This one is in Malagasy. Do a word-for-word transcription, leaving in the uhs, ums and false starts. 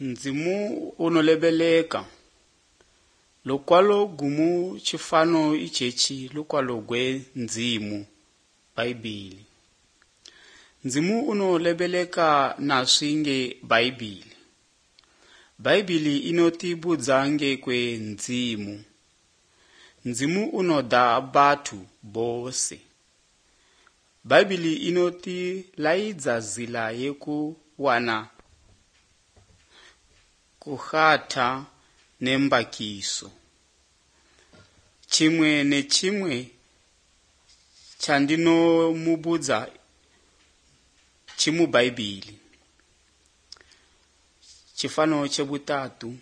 Ndzimu unolebeleka lukwalo gumu tshifano itshetshi lukwalo gwe ndzimu Bhaibhili. Ndzimu unolebeleka naswi nge Bhaibhili. Bhaibhili inotibudza ngekwe ndzimu. Ndzimu unoda bathu bose. Bhaibhili inotilaidza zila yekuwana kuhata nembakiso. Chimwe nechimwe chandinomubudza chimubhaibhili. Chifano chebutatu.